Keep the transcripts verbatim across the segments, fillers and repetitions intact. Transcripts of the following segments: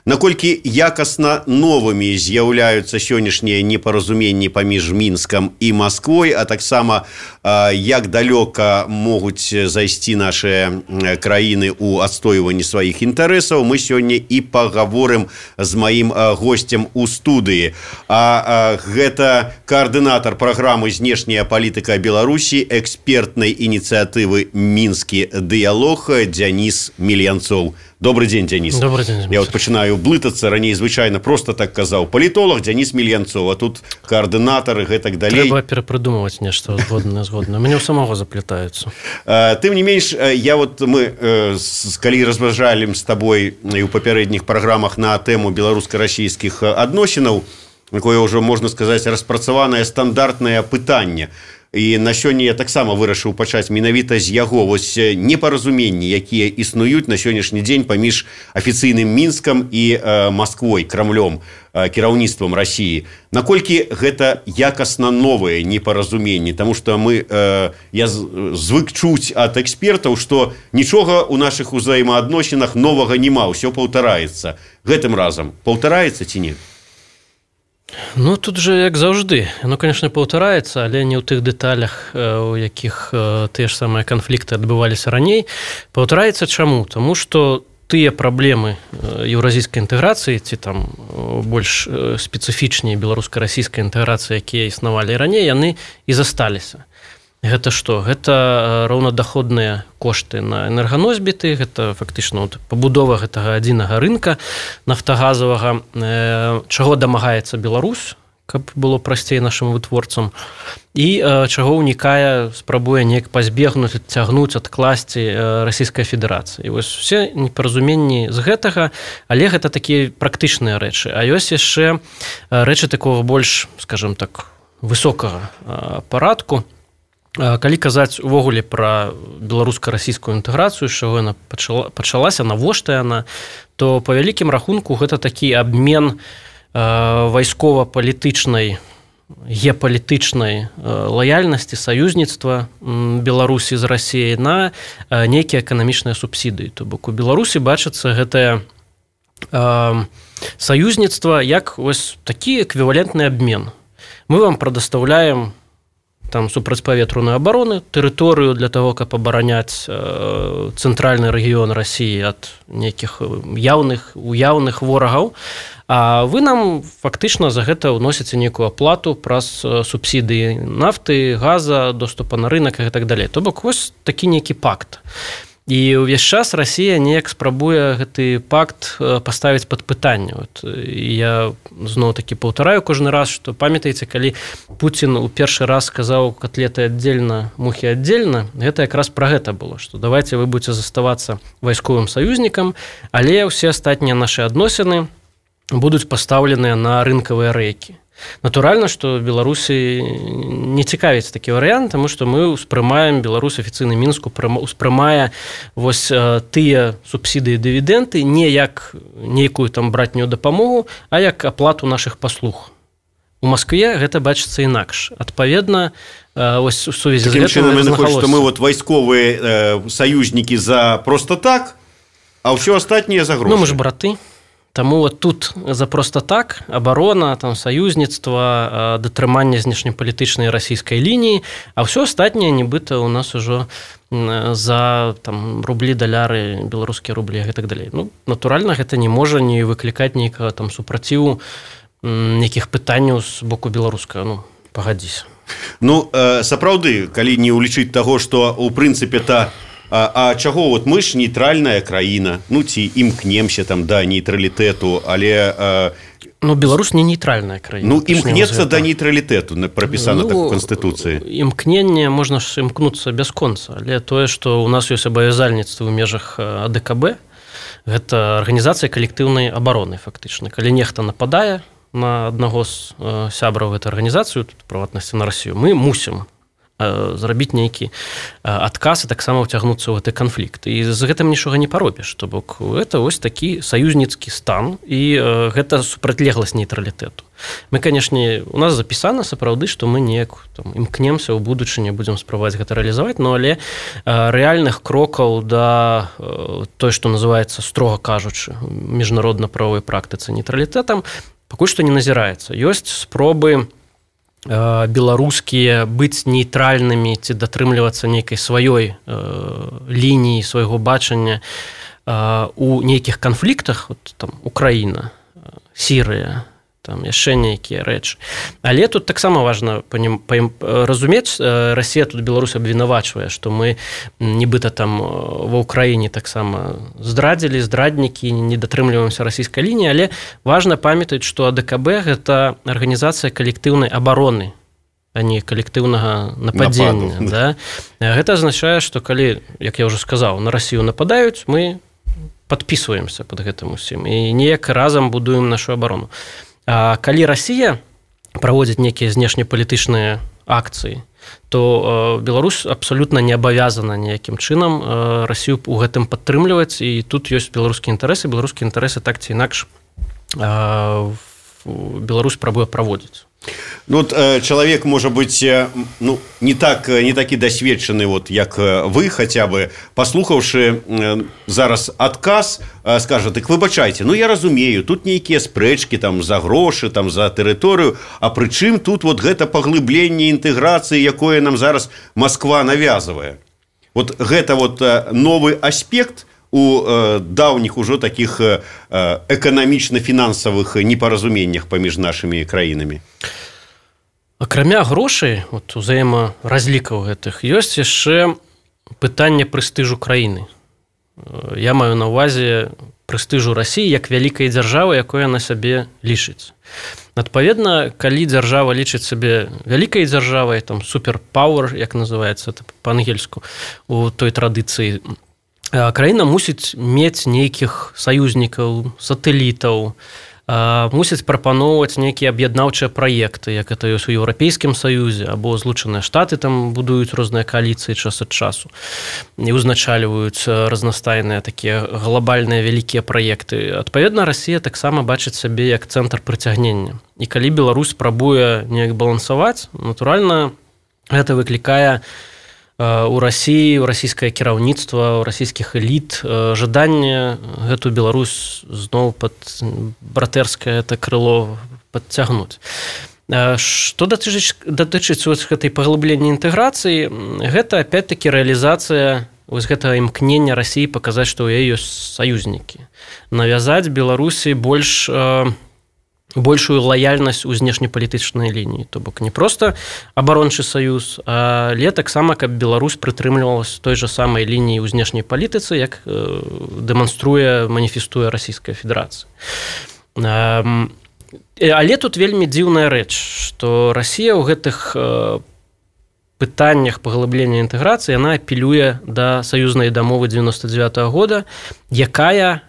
Наколькі якасна новымі з'яўляюцца сённяшнія непаразуменні паміж Мінскам і Масквой, а таксама як далёка могуць зайсці нашыя краіны ў адстойванні сваіх інтарэсаў, мы сёння і пагаворым з маім госцем у студыі. А гэта каардынатар праграмы «Знешняя палітыка Беларусі» экспертнай ініцыятывы «Мінскі дыялог» Дзяніс Мільянцоў. Добрый день, Денис. Добрый день. Я вот начинаю блытаться, ранее звычайно просто так казал. Политолог Денис Мільянцоў, а тут координатор и так далее. Треба перепридумывать нечто згодное, згодное. Меня у самого заплетаются. Тем не менш, я вот, мы, коли разважали с тобой и у попередних программах на тему белорусско-российских адносінаў, такое уже, можно сказать, распрацаванае стандартное пытанне. І на сёння я таксама вырашыў пачаць менавіта з яго. Вось непаразуменні, якія існуюць на сённяшні дзень паміж афіцыйным Мінскам і э, Масквой, Крамлём, э, кіраўніцтвам Расіі. Наколькі гэта якасна новыя непаразуменні? Таму што мы, э, я звык чуць ад экспертаў, што нічога ў нашых узаемаадносінах новага няма, ўсё паўтараецца. Гэтым разам паўтараецца ці не? Ну, тут же, як заўжды, оно, конечно, паўтараецца, але не ў тых дэталях, у якіх тыя ж самыя канфлікты адбываліся раней. Паўтараецца чаму? Таму што тыя праблемы еўразійскай інтэграцыі, ці там больш спецыфічней беларуска-расійскай інтэграцыі, якія існавалі раней, яны і засталіся. Гэта што? Гэта роўнадаходныя кошты на энерганосьбіты, гэта фактычна вот, пабудова гэтага адзінага рынка нафтагазавага, э, чаго дамагаецца Беларусь, каб было прасцей нашым вытворцам, і э, чаго ўнікае, спрабуе неяк пазбегнуць, адцягнуць, адкласці э, Расійскай Федэрацыі. І вось усе непаразуменні з гэтага, але гэта такія практычныя рэчы. А ёсць яшчэ рэчы такого больш, скажем так, высокага э, парадку. Калі казаць увогуле пра беларуска-расійскую інтэграцыю, з чаго яна пачала, пачалася, навошта яна, то па вялікім рахунку гэта такі абмен вайскова-палітычнай, геапалітычнай лаяльнасці, саюзніцтва Беларусі з Расіяй на нейкія эканамічныя субсідыі. То бок у Беларусі бачыцца гэтае саюзніцтва як ось такі эквівалентны абмен. Мы вам прадастаўляем там супрацьпаветраную абароны, тэрыторыю для того, каб абараняць э, цэнтральны рэгіён Расіі ад нейкіх яўных, уяўных ворагаў, а вы нам фактычна за гэта ўносіце нейкую аплату праз субсідыі нафты, газа, доступа на рынок і так далей. То бок вось такі нейкі пакт. І ўвесь час Расія неяк спрабуе гэты пакт паставіць пад пытанне. Вот, я зноў-такі паўтараю кожны раз, што памятаеце, калі Пуцін у першы раз сказаў котлеты аддзельна, мухі аддзельна, гэта якраз пра гэта было, што давайце вы будзеце заставацца вайсковым саюзнікам, але ўсе астатнія нашы адносіны будуць пастаўленыя на рынкавыя рэйкі. Натуральна, што Беларусі не цікавіць такі варыянт, таму што мы ўспрымаем, Беларусь афіцыйны Мінску ўспрымае вось тыя субсідыі, дывідэнты не як нейкую там братнюю дапамогу, а як аплату нашых паслуг. У Маскве гэта бачыцца інакш. Адпаведна, вось у сувязі з гэтым размахалося. Што мы вот вайсковыя э, саюзнікі за просто так, а ўсё астатняе за грошы. Ну, мы ж браты. Таму вот тут за просто так абарона, там саюзніцтва, датрыманне знешнепалітычнай расійскай лініі, а ўсё астатняе нібыта у нас ужо за там рублі, даляры, беларускія рублі і так далей. Ну, натуральна, гэта не можа не выклікаць нейкага там супраціву, нейкіх пытанняў з боку беларускага. Ну, пагадзіся. Ну, сапраўды, калі не ўлічыць таго, што ў прынцыпе та А, а чаго вот мы ж нейтральная краіна, ну ці імкнемся там да нейтралітэту, але а... ну Беларусь не нейтральная краіна. Ну імкнецца да нейтралітэту, прапісана ну, так у Канстытуцыі. Імкненне можна ж імкнуцца бясконца, але тое, што у нас ёсць абавязальніцтва ў межах А Дэ Ка Бэ, гэта арганізацыя калектыўнай абароны фактычна. Калі нехта нападае на аднаго з сябраў гэтай арганізацыі, тут прыватнасці на Расію, мы мусім зрабіць нейкі адказ і таксама ўцягнуцца ў гэты канфлікт. І з гэтым нічога не паробіш. То бок гэта вось такі саюзніцкі стан і гэта супрацьлегласць нейтралітэту. Мы, канешне, у нас запісана сапраўды, што мы неяк там імкнемся ў будучыні, будзем спрабаваць гэта рэалізаваць, но але рэальных крокаў да той, што называецца, строга кажучы, міжнародна-правовой практыцы нейтралітэтам, пакуль што не назіраецца. Ёсць спробы беларускія быць нейтральнымі ці датрымлівацца нейкай сваёй э, лініі, свайго бачання э, у нейкіх канфліктах, от, там, Украіна, Сірыя, там яшчэ нейкія рэчы. Але тут таксама важна панім, паім, разумець, Расія тут Беларусь абвінавачвае, што мы нібыта там ва Ўкраіне таксама здрадзілі, здраднікі, не датрымліваемся расійскай лініі, але важна памятаць, што АДКБ гэта арганізацыя калектыўнай абароны, а не калектыўнага нападзення. Да? Гэта азначае, што калі, як я ўжо сказаў, на Расію нападаюць, мы падпісваемся пад гэтым усім і неяк разам будуем нашу абарону. А калі Расія праводзіць нейкія знешнепалітычныя акцыі, то Беларусь абсалютна не абавязана ніякім чынам Расію ў гэтым падтрымліваць, і тут ёсць беларускія інтарэсы, беларускія інтарэсы так ці инакш Беларусь спрабуе праводзіць. Ну, вот, человек, может быть, ну, не, так, не такі досведчаны, вот, як вы, хотя бы, послухавши зараз адказ, скажа, так выбачайце, ну, я разумею, тут нейкія спрэчкі там, за грошы, там, за тэрыторыю, а прычым тут вот гэта паглыбленне інтэграцыі, якое нам зараз Москва навязывае. Вот гэта вот новы аспект у э, даўніх ужо такіх э, эканамічна-фінансавых непаразуменнях паміж нашымі краінамі. Акрамя грошай, вот, узаемаразлікаў гэтых, ёсць яшчэ пытанне прэстыжу краіны. Я маю на ўвазе прэстыжу Расіі як вялікай дзяржавы, якой яна сабе лічыць. Адпаведна, калі дзяржава лічыць сабе вялікай дзяржавай, там суперпауэр, як называецца па-ангельску, у той традыцыі, краіна мусіць мець нейкіх саюзнікаў, сатэлітаў, мусіць прапаноўваць нейкія аб'яднаўчыя праекты, як это ёсць у Еўрапейскім Саюзе, або Злучаныя Штаты там будуюць розныя кааліцыі час ад часу і узначальваюць разнастайныя такія глобальныя вялікія праекты. Адпаведна, Расія таксама бачыць сабе як цэнтр прыцягнення. І калі Беларусь спрабуе неяк балансаваць, натуральна, гэта выклікае у Расіі, у расійскае кіраўніцтва, у расійскіх эліт жаданне гэту Беларусь зноў пад братэрскае это крыло падцягнуць. Што датычыць, датычыць гэтай паглыблення інтэграцыі, гэта опять-таки рэалізацыя вось гэтага імкнення Расіі паказаць, што ў яе ёсць саюзнікі. Навязаць Беларусі больш большую лаяльнасць у знешнепалітычнай лініі. То бок не проста абарончы саюз, але таксама, каб Беларусь прытрымлівалась той жа самай лініі ў знешняй палітыцы, як дэманструе, маніфестуе Расійская Федэрацыя. Але тут вельмі дзіўная рэч, што Расія ў гэтых пытаннях паглыблення інтэграцыі яна апелюе да саюзнай дамовы дзевяносто девятого года, якая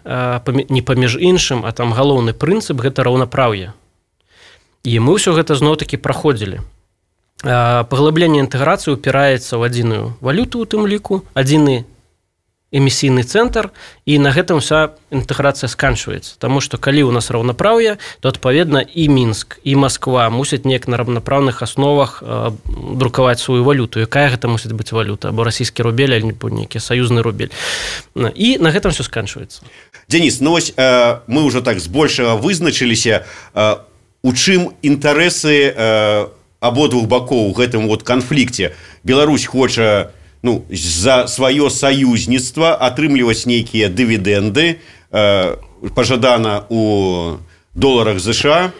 не паміж іншым, а там галоўны прынцып гэта раўнапраўе. І мы ўсё гэта зноў-такі праходзілі. Паглыбленне інтэграцыі упіраецца ў адзіную валюту, у тым ліку, адзіны эмісійны цэнтр, і на гэтым вся інтэграцыя сканчваецца. Таму што калі ў нас раўнапраўе, то адпаведна і Мінск, і Масква мусяць неяк на раўнапраўных асновах э, друкаваць сваю валюту. Якая гэта мусіць быць валюта? Або расійскі рубель, альбо нейкі саюзны рубель. І на гэтым все сканчваецца. Денис, ну вось э, мы ўжо так збольшага вызначыліся, э, у чым інтарэсы э, абодвух бакоў у гэтым вот канфлікце. Беларусь хоча ну, за сваё саюзніцтва атрымліваць нейкія дывідэнды, э, пажадана у доларах США,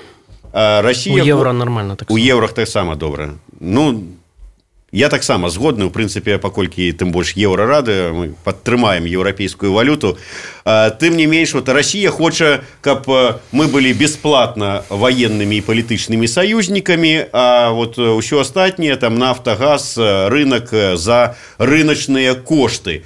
а Расія... У еўра нармальна так. У еўрах таксама добра. Ну, я таксама згодны, у прынцыпе, паколькі тым больш еўра рады, мы падтрымаем еўрапейскую валюту. Тым не менш, вот Расія хоча, каб мы былі бясплатна ваеннымі і палітычнымі саюзнікамі, а вот ўсё астатняе, там нафта, газ, рынок за рыначныя кошты.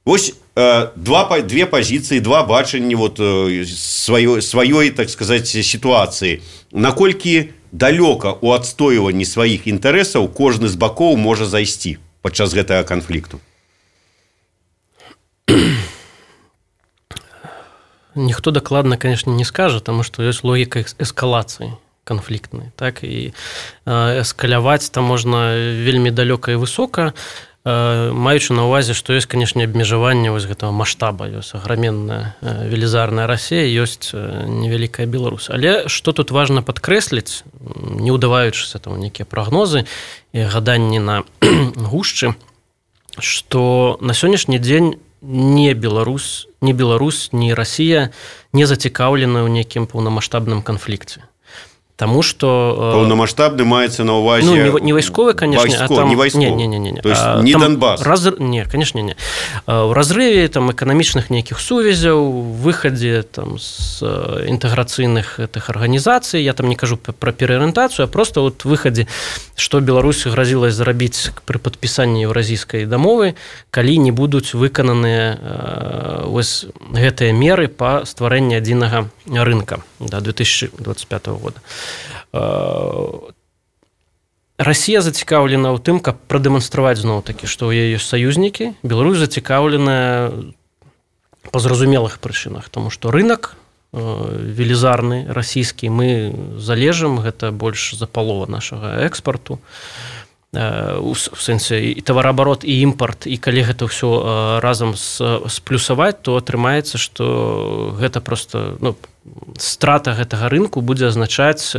Вось два, две пазіцыі, два бачанні вот сваёй, сваёй, так сказаць, сітуацыі. Наколькі далёка ў адстойванні сваіх інтарэсаў кожны з бакоў можа зайсці падчас гэтага канфлікту? Ніхто дакладна, конечно, не скажа, таму што ёсць логіка эскалацыі канфліктнай, так, і эскаляваць там можна вельмі далёка і высока, маючы на ўвазе, што ёсць, канешне, абмежаванне вось гэтага маштаба, ёсць аграменная велізарная Расія, ёсць невялікая Беларусь. Але што тут важна падкрэсліць, не ўдаваючыся там нейкія прагнозы і гаданні на гушчы, што на сённяшні дзень не Беларусь, не Беларусь, не Расія не зацікаўлены ў нейкім паўнамаштабным канфлікце. Таму што паўнамаштабны маецца на ўвазе, ну, не, не вайсковы, канешне, вайско, а там не вайсковы. Не, не, не, не. То есть не там Донбас. Раз... Не, канешне, не. У разрыве там эканамічных нейкіх сувязяў, выхадзе там з інтэграцыйных гэтых арганізацый, я там не кажу пра пераарыентацыю, а просто вот выхадзе, што Беларусь гразіла зрабіць пры падпісанні еўразійскай дамовы, калі не будуць выкананыя вось гэтыя меры па стварэнні адзінага рынка да две тысячи двадцать пятого года. Расія зацікаўлена ў тым, каб прадэманстраваць зноў-такі, што ў яе ёсць саюзнікі. Беларусь зацікаўленая па зразумелых прычынах, таму што рынак велізарны расійскі, мы залежым, гэта больш за палова нашага экспарту. У сэнсе і тавараабарот, і імпарт, і калі гэта ўсё разам сплюсаваць, то атрымаецца, што гэта проста, ну, страта гэтага рынку будзе азначаць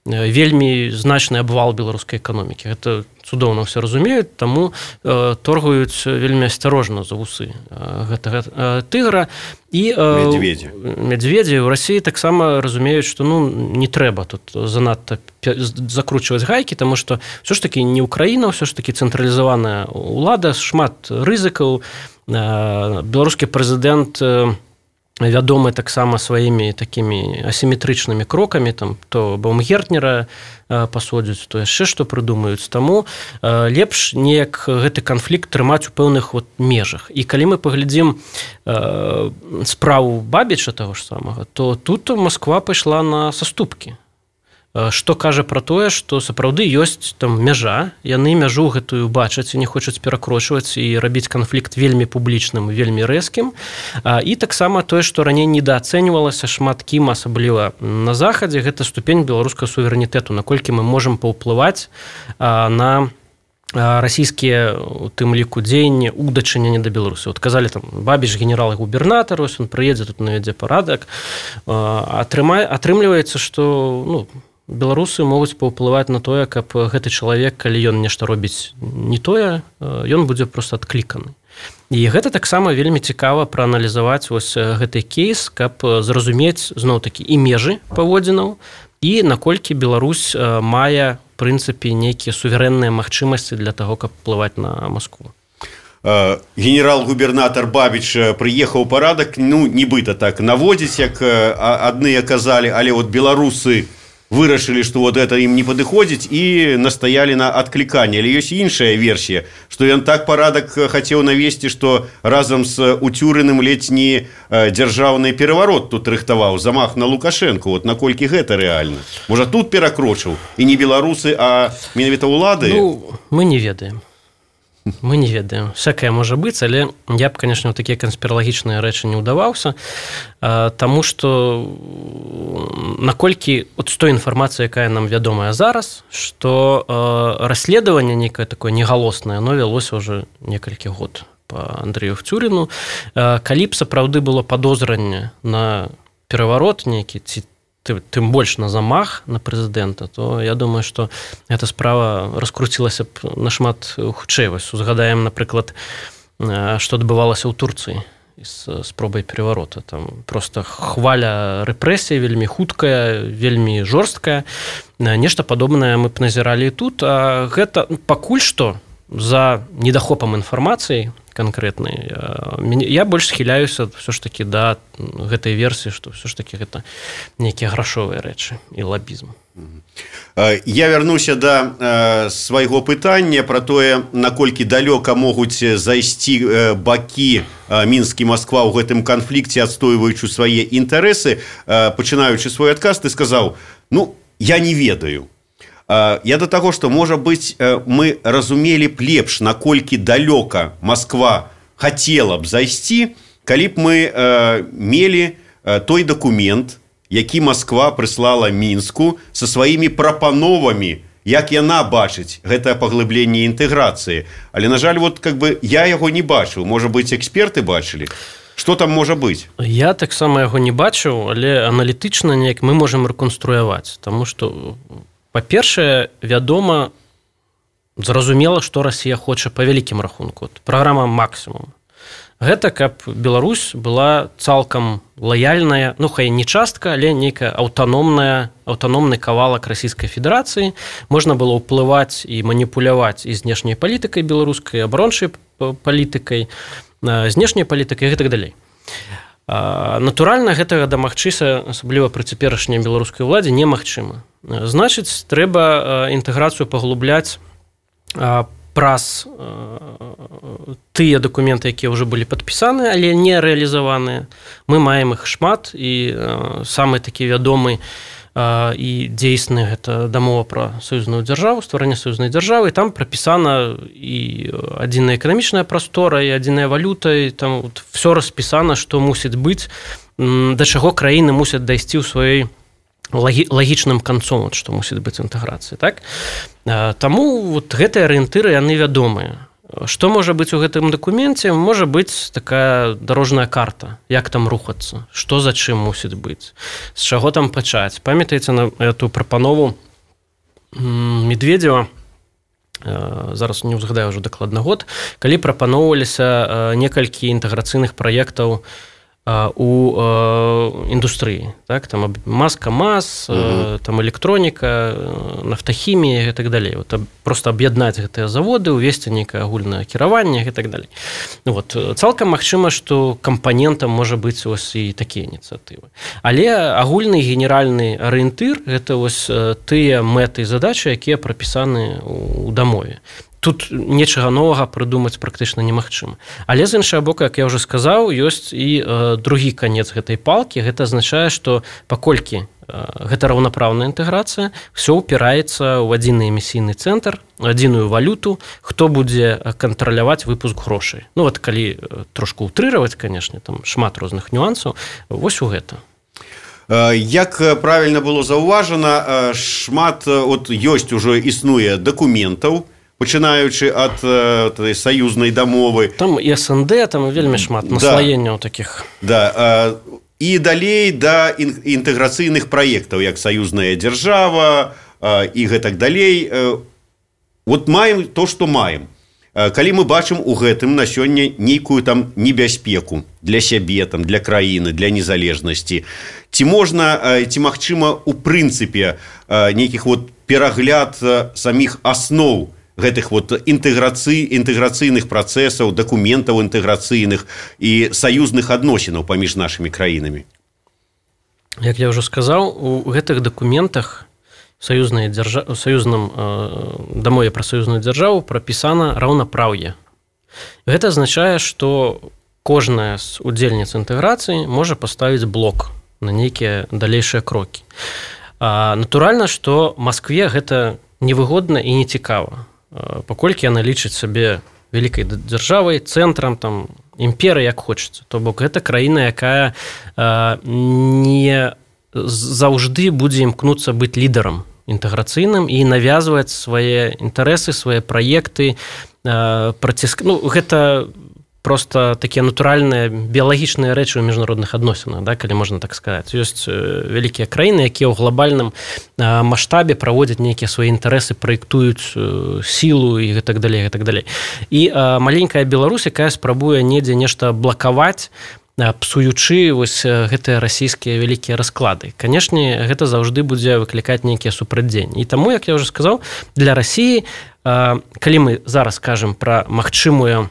вельмі значны абвал беларускай эканомікі. Гэта цудоўна ўсе разумеюць, таму торгуюць вельмі асцярожна за вусы гэтага тыгра. І медведзі. Медведзі ў Расіі таксама разумеюць, што ну, не трэба тут занадта закручваць гайкі, таму што ўсё ж такі не Украіна, ўсё ж такі цэнтралізаваная ўлада, шмат рызыкаў. Беларускі прэзідэнт вядомы таксама сваімі такімі асіметрычнымі крокамі, там то Баумгертнера пасодзяць, то яшчэ што прыдумаюць. Таму лепш неяк гэты канфлікт трымаць у пэўных вот межах. І калі мы паглядзім справу Бабіча таго ж самага, то тут Масква пайшла на саступкі. Што кажа пра тое, што сапраўды ёсць там мяжа, яны мяжу гэтую бачаць і не хочуць перакрочваць і рабіць канфлікт вельмі публічным, вельмі рэзкім. І таксама тое, што раней недаацэньвалася шмат кім, асабліва на захадзе, гэта ступень беларускага суверэнітэту, наколькі мы можам паўплываць на расійскія у тым ліку дзеянні ў дачыненні да Беларусі. Вот казалі там Бабіч генерал-губернатар, ось ён прыедзе тут навядзе парадак. Атрымай, атрымліваецца, што ну, беларусы могуць паўплываць на тое, каб гэты чалавек, калі ён нешта робіць не тое, ён будзе проста адкліканы. І гэта таксама вельмі цікава прааналізаваць вось гэты кейс, каб зразумець зноў-такі і межы паводзінаў, і наколькі Беларусь мае, в прынцыпе, нейкія суверэнныя магчымасці для таго, каб плываць на Маскву. Генерал-губернатар Бабіч прыехаў парадак, ну, нібыта так наводзіць, як адныя казалі, але вот беларусы вырашылі, што вот это ім не падыходзіць і настаялі на адкліканне. Але ёсць іншая версія, што ён так парадак хацеў навесці, што разам з Уцюрыным ледзь не дзяржаўны пераварот тут рыхтаваў, замах на Лукашэнку. Вот наколькі гэта рэальна? Можа, тут перакрочыў і не беларусы, а менавіта ўлады? Ну, мы не ведаем. Мы не ведаем. Всякае можа быць, але я б, конечно, ў такія канспіралагічныя рэчы не ўдаваўся, таму што наколькі от з той інфармацыі, якая нам вядомая зараз, што расследаванне нейкае такое негалоснае, оно вялося ўжо некалькі год па Андрэю Уцюрыну. Калі б сапраўды было падозранне на пераварот нейкі, ці тым больш на замах на прэзідэнта, то я думаю, што эта справа раскруцілася б нашмат хутчэй. Вось узгадаем, напрыклад, што адбывалася ў Турцыі з спробай пераварота. Там проста хваля рэпрэсій вельмі хуткая, вельмі жорсткая. Нешта падобнае мы б назіралі і тут. А гэта пакуль што за недахопам інфармацыі канкрэтнай, я больш схіляюся ўсё ж такі да гэтай версіі, што ўсё ж такі гэта нейкія грашовыя рэчы і лабізм. Я вярнуся да свайго пытання пра тое, наколькі далёка могуць зайсці бакі Мінск і Масква ў гэтым канфлікце, адстойваючы свае інтарэсы. Пачынаючы свой адказ, ты сказаў, ну, я не ведаю. Я да таго, што, можа быць, мы разумелі б лепш, наколькі далёка Масква хацела б зайсці, калі б мы мелі той дакумент, які Масква прыслала Мінску са сваімі прапановамі, як яна бачыць гэтае паглыбленне інтэграцыі. Але, на жаль, вот, как бы, я яго не бачыў. Можа быць, эксперты бачылі? Што там можа быць? Я таксама яго не бачыў, але аналітычна неяк мы можам рэконструяваць. Таму што, па-першае, вядома, зразумела, што Расія хоча па вялікім рахунку. Праграма «Максімум». Гэта каб Беларусь была цалкам лаяльная, ну хай не частка, але нейкая аўтаномная, аўтаномны кавалак Расійскай Федэрацыі. Можна было ўплываць і маніпуляваць і знешняй палітыкай беларускай, абарончай палітыкай, знешняй палітыкай і так далей. Натуральна, гэтага дамагчыся, асабліва пры цяперашняй беларускай уладзе, немагчыма. Значыць, трэба інтэграцыю паглубляць праз тыя дакументы, якія ўжо былі падпісаны, але не рэалізаваныя. Мы маем іх шмат, і самы такі вядомы і дзейсны гэта дамова пра саюзную дзяржаву, стварэнне саюзнай дзяржавы. Там прапісана і адзіная эканамічная прастора, і адзіная валюта, і там все распісана, што мусіць быць, да чаго краіны мусяць дайсці ў сваёй лагічным канцом, вот, што мусіць быць інтэграцыя. Так? Таму вот, гэтыя арыентыры, яны вядомыя. Што можа быць у гэтым дакуменце? Можа быць такая дарожная карта, як там рухацца, што за чым мусіць быць, з чаго там пачаць. Памятаеце на эту прапанову Медведзева, зараз не ўзгадаю ўжо дакладна год, калі прапаноўваліся некалькі інтэграцыйных праектаў у індустрыі, так, там Маз-КамАЗ, угу. там электроніка, нафтахімія і так далей. Вот, просто аб'яднаць гэтыя заводы, увесці нейкае агульнае кіраванне і так далей. Вот, цалкам магчыма, што кампанентам можа быць ось і такія ініцыятывы. Але агульны генеральны арыентыр гэта ось тыя мэты і задачы, якія прапісаны ў дамове. Тут нечага новага прыдумаць практычна немагчыма. Але з іншага боку, як я ўжо сказаў, ёсць і э, другі канец гэтай палкі. Гэта азначае, што паколькі э, гэта раўнапраўная інтэграцыя, все ўпіраецца ў адзіны эмісійны цэнтр, адзіную валюту, хто будзе кантраляваць выпуск грошай. Ну вот калі трошку ўтрыраваць, канешне, там шмат розных нюансаў, вось у гэта. Як правільна было заўважана, шмат от ёсць ужо існуе дакументаў, пачынаючы ад э, саюзнай дамовы. Там і СНД, там вельмі шмат наслаенняў да. такіх. Да, э, і далей да інтэграцыйных праектаў, як саюзная дзяржава э, і гэтак далей. Э, вот маем то, што маем. Э, калі мы бачым у гэтым на сёння нейкую там небяспеку для сябе, там, для краіны, для незалежнасці, ці можна, э, ці магчыма у прынцыпе э, нейкіх вот перагляд э, саміх асноў гэтых вот інтэграцый, інтэграцыйных працэсаў, дакументаў інтэграцыйных і саюзных адносінаў паміж нашымі краінамі. Як я ўжо сказаў, у гэтых дакументах саюзнай дзяржа... саюзным э, дамове пра саюзную дзяржаву прапісана раўнапраўе. Гэта азначае, што кожная з удзельніц інтэграцыі можа паставіць блок на нейкія далейшыя крокі. А, натуральна, што Маскве гэта невыгодна і нецікава. Паколькі яна лічыць сабе вялікай дзяржавай, цэнтрам, там, імперыі, як хочацца. То бок, гэта краіна, якая э, не заўжды будзе імкнуцца быць лідарам інтэграцыйным і навязваць свае інтарэсы, свае праекты, э, праціск... ну, гэта просто такія натуральныя біялагічныя рэчы ў міжнародных адносінах, да, калі можна так сказаць. Ёсць вялікія краіны, якія ў глобальным маштабе праводзяць нейкія свае інтарэсы, праектуюць сілу і гэтак далей, гэтак далей. І маленькая Беларусь, якая спрабуе недзе нешта блакаваць, псуючы вось гэтыя расійскія вялікія расклады. Канешне, гэта заўжды будзе выклікаць нейкія супрацьдзеянні. І таму, як я ўжо сказаў, для Расіі, калі мы зараз кажам пра магчымую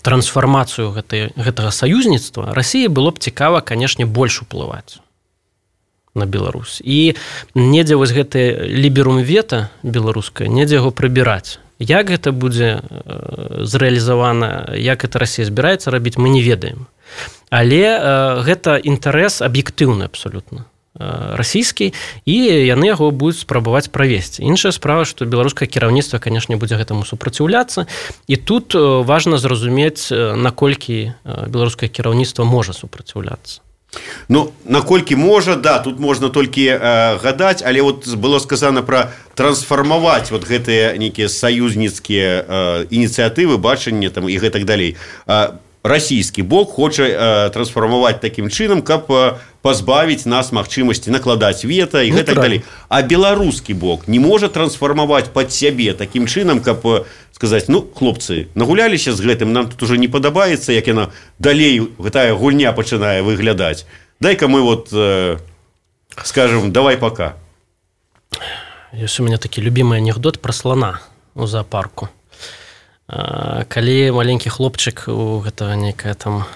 трансфармацыю гэтай, гэтага саюзніцтва, Расіі было б цікава, канешне, больш уплываць на Беларусь. І недзе вось гэты ліберум вета беларускае, недзе яго прыбіраць. Як гэта будзе зрэалізавана, як гэта Расія збіраецца рабіць, мы не ведаем. Але э, гэта інтарэс аб'ектыўны абсалютна. расійскі, і яны яго будуць спрабаваць правесці. Іншая справа, што беларускае кіраўніцтва, канешне, будзе гэтаму супраціўляцца, і тут важна зразумець, наколькі беларускае кіраўніцтва можа супраціўляцца. Ну, наколькі можа, да, тут можна толькі э, гадаць, але вот было сказано пра трансфармаваць вот гэтыя нейкія саюзніцкія э, ініцыятывы, бачанне там і гэтак далей. Э, расійскі бок хоча э, трансфармаваць такім чынам, каб э, пазбавіць нас магчымасці накладаць вета і гэтак далей. А беларускі бок не можа трансфармаваць пад сябе такім чынам, каб э, сказаць, ну, хлопцы, нагуляліся з гэтым, нам тут уже не падабаецца, як яна далей гэтая гульня пачынае выглядаць. Дай-ка мы вот э, скажем, давай пока. Ёсць у меня такі любімы анекдот пра слана у зоапарку. Калі маленькі хлопчык у гэтага нейкая там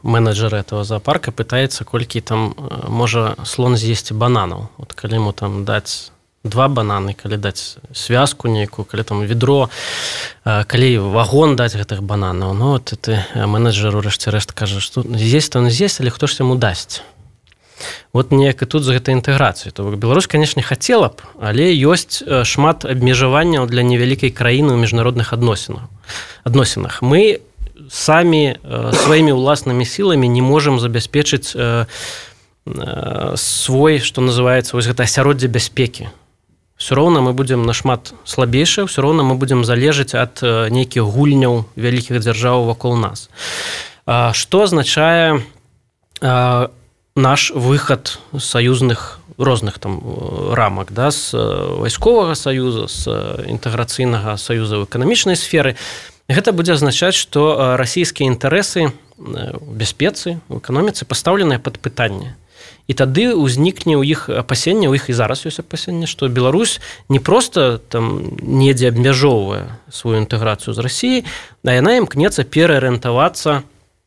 менеджера этого зоопарка пытаецца, колькі там можа слон з'есці бананаў. Вот калі ему там даць два бананы, калі даць связку нейкую, калі там ведро, калі вагон даць гэтых бананаў, ну вот ты менеджер у рэшце-рэшт кажа, што з'есць то не з'есць, але хто ж яму дасць? Вот неяк і тут з гэтай інтэграцыі. То Беларусь, канешне, хацела б, але ёсць шмат абмежаванняў для невялікай краіны ў міжнародных адносінах. адносінах. Мы самі сваімі ўласнымі сіламі не можам забяспечыць свой, што называецца, вось гэта асяроддзе бяспекі. Ўсё роўна мы будзем нашмат слабейшыя, ўсё роўна мы будзем залежаць ад нейкіх гульняў вялікіх дзяржаў вакол нас. Што азначае наш выхад з саюзных розных там рамак, да, з вайсковага саюза, з інтэграцыйнага саюза ў эканамічнай сферы. Гэта будзе азначаць, што расійскія інтарэсы ў бяспецы, у эканоміцы пастаўленыя пад пытанне. І тады ўзнікне ў іх апасенне, у іх і зараз ёсць апасенне, што Беларусь не проста там недзе абмяжоўвае сваю інтэграцыю з Расіяй, а яна імкнецца пераарыентавацца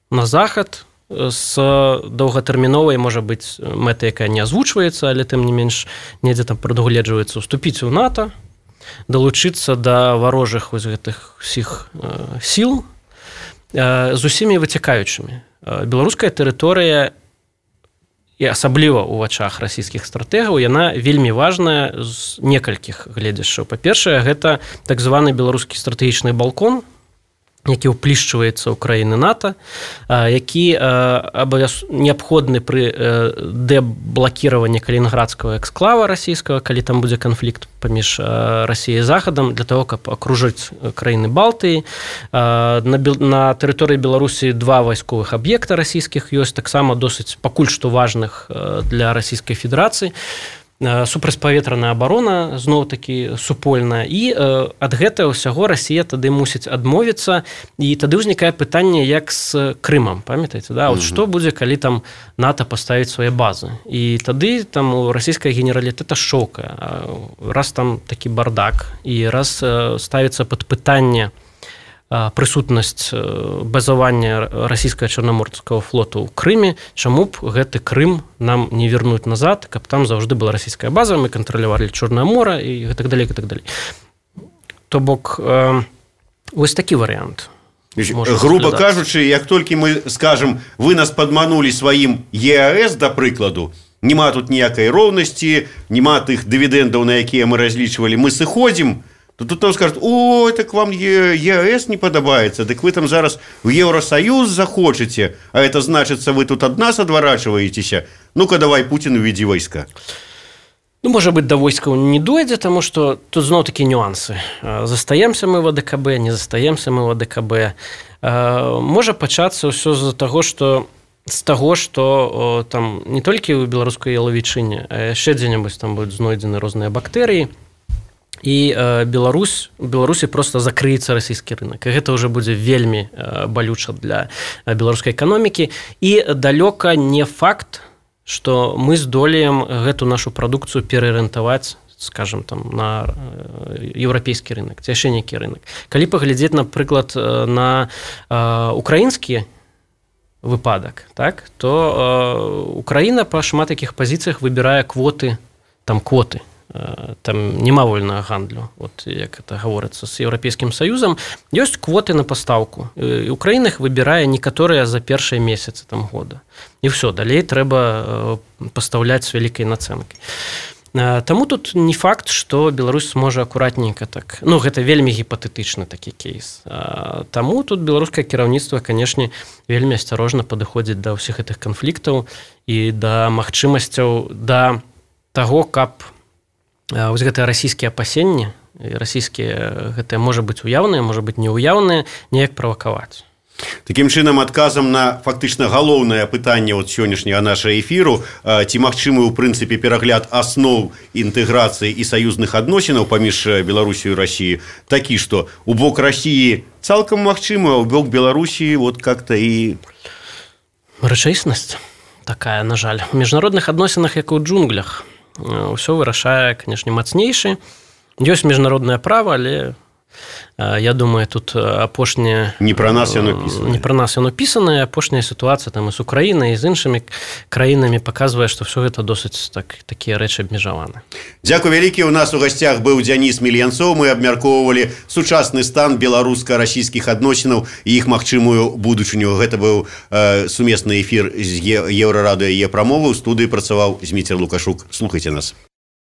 на захад, з доўгатэрміновай, можа быць, мэтай, якая не азвучваецца, але тым не менш недзе там прадугледжваецца уступіць у НАТО, далучыцца да варожых вось гэтых усіх э, сіл э, з усімі выцякаючымі. Беларуская тэрыторыя, і асабліва ў вачах расійскіх стратэгаў, яна вельмі важная з некалькіх гледзяшчаў. Па-першае, гэта так званы беларускі стратэгічны балкон, які ўплішчваецца ў краіны НАТО, які неабходны пры дэблакіраванні калінінградскага эксклава расійскага, калі там будзе канфлікт паміж Расіяй і Захадам, для того, каб акружыць краіны Балтыі. На тэрыторыі Беларусі два вайсковых аб'екта расійскіх ёсць, таксама досыць пакуль што важных для Расійскай Федэрацыі. Супрацьпаветраная абарона зноў-такі супольная, і ад гэтага ўсяго Расія тады мусіць адмовіцца, і тады ўзнікае пытанне, як з Крымам, памятаеце, да? Вот mm-hmm. што будзе, калі там НАТО паставіць свае базы, і тады там у расійскага генералітэта шока, раз там такі бардак, і раз ставіцца пад пытанне прысутнасць базавання расійскага чарнаморскага флоту ў Крыме, чаму б гэты Крым нам не вернуць назад, каб там заўжды была расійская база, мы кантралявалі Чорнае мора і гэтак далей, гэтак далей. То бок, э, вось такі варыянт. Грубо кажучы, як толькі мы скажем, вы нас падманулі сваім е а эс, да прыкладу, нема тут ніякай роўнасці, нема тых дывідэндаў, на якія мы разлічвалі, мы сыходзім, то тут нам скажут, ой, так вам е а эс не падабаецца, дык вы там зараз в Евросоюз захочаце, а это значыцца, вы тут ад нас адварачваецеся, ну-ка давай, Путин, уведзі войска. Ну, можа быць, да войскаў не дойдзе, таму што тут зноў такі нюансы. Застаемся мы в а дэ ка бэ, не застаемся мы в а дэ ка бэ. Можа пачацца ўсё з-за таго, што з таго, што там не толькі ў беларускай ялавічыне, а яшчэ дзе-небудзь там будуць знойдзены розныя бактэрыі, і Беларусь, Беларусі проста закрыецца расійскі рынок. І гэта ўжо будзе вельмі балюча для беларускай эканомікі. І далёка не факт, што мы здолеем гэту нашу прадукцыю пераарыентаваць, скажем, там, на еўрапейскі рынок, ці яшчэ нейкі рынок. Калі паглядзець, напрыклад, на украінскі выпадак, так, то Украіна па шмат якіх пазіцыях выбірае квоты, там квоты там няма вольнага гандлю, от як это гаворыцца, з Еўрапейскім Саюзам, ёсць квоты на пастаўку. І Украіна іх выбірае некаторыя за першыя месяцы там года. І ўсё, далей трэба пастаўляць з вялікай нацэнкай. Таму тут не факт, што Беларусь сможа акуратненька так. Ну, гэта вельмі гіпатэтычны такі кейс. Таму тут беларускае кіраўніцтва, канешне, вельмі асцярожна падыходзіць да ўсіх гэтых канфліктаў і да магчымасцяў, да таго, каб вось гэтыя расійскія апасенні, расійскія гэтыя можа быць уяўныя, можа быць неуяўныя, неяк правакаваць. Такім чынам, адказам на фактычна галоўнае пытанне от сённяшняга нашага эфіру, ці магчымы ў прынцыпе перагляд асноў інтэграцыі і саюзных адносінаў паміж Беларусію і Расіяй, такі, што у бок Расіі цалкам магчыма, а ў бок Беларусі вот как-то і... Рэчаіснасць такая, на жаль. У міжнародных адносінах, як у джунглях, ўсё вырашае, канешне, мацнейшы. Ёсць міжнароднае права, але... Я думаю, тут апошняе... Не пра нас яно пісанае. Не пра нас яно пісанае. Апошняя сітуацыя там і з Украінай, і з іншымі краінамі паказвае, што ўсё гэта досыць так, такія рэчы абмежаваны. Дзякуй вялікі. У нас у гасцях быў Дзяніс Мільянцоў. Мы абмяркоўвалі сучасны стан беларуска-расійскіх адносінаў і іх магчымую будучыню. Гэта быў э, сумесны эфір з Еўрарадыё Е-прамовы. У студыі працаваў Зміцер Лукашук. Слухайце нас.